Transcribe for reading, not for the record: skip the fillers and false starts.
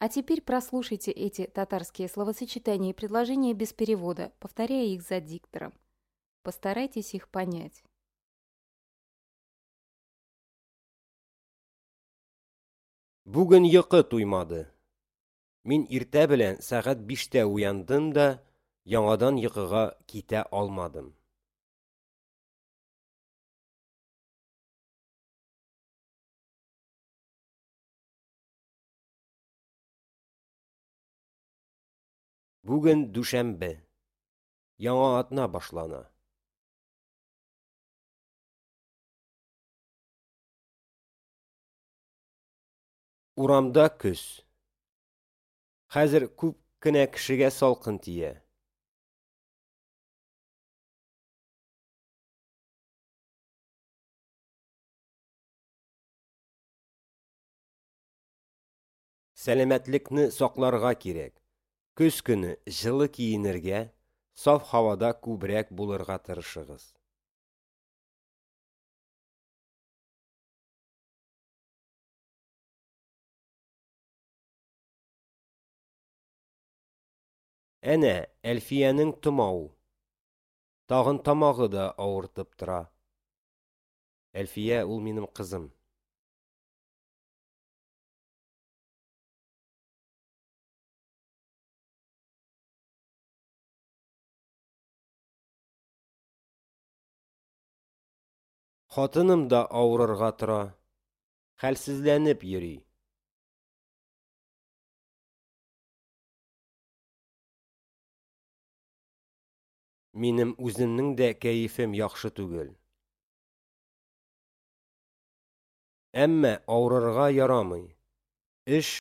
А теперь прослушайте эти татарские словосочетания и предложения без перевода, повторяя их за диктором. Постарайтесь их понять. Бүген йокы туймады. Мин иртә белән сәгать 5тә уяндым да, яңадан йокыга китә алмадым. Бүген дүшәмбе. Яңа атна башлана. Урамда көз. Хәзер күп кенә кешегә салкын тия. Сәламәтлекне сакларга кирәк. Көз көне җылы киенергә, саф һавада күбрәк булырга тырышыгыз. Әнә, Әлфиянең томау. Тагын тамагы да авыртып тора. Әлфия ул минем кызым. Хатыным да авырырга тора. Хәлсезләнеп йөри. Минем үземнең дә кәефем яхшы түгел. Әмма авырырга ярамый. Эш